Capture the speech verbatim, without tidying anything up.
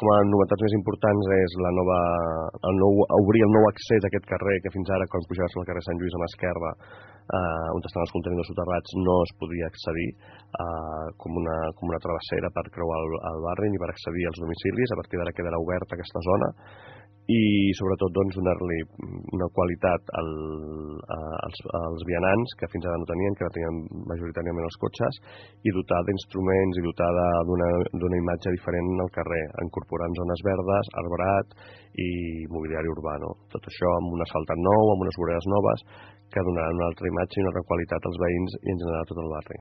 com a novetats més importants és la nova, el nou, obrir el nou accés a aquest carrer, que fins ara, quan pujaves al carrer Sant Lluís a mà esquerra, eh, on estan els contenidors soterrats, no es podia accedir eh, com, una, com una travessera per creuar el, el barri ni per accedir als domicilis. A partir d'ara quedarà oberta aquesta zona i sobretot doncs, donar-li una qualitat al, a, als, als vianants que fins ara no tenien, que ara tenien majoritàriament els cotxes, i dotar d'instruments i dotar d'una imatge diferent al carrer, incorporant zones verdes, arbrat i mobiliari urbà. No? Tot això amb un asfaltat nou, amb unes voreres noves, que donaran una altra imatge i una altra qualitat als veïns i en general a tot el barri.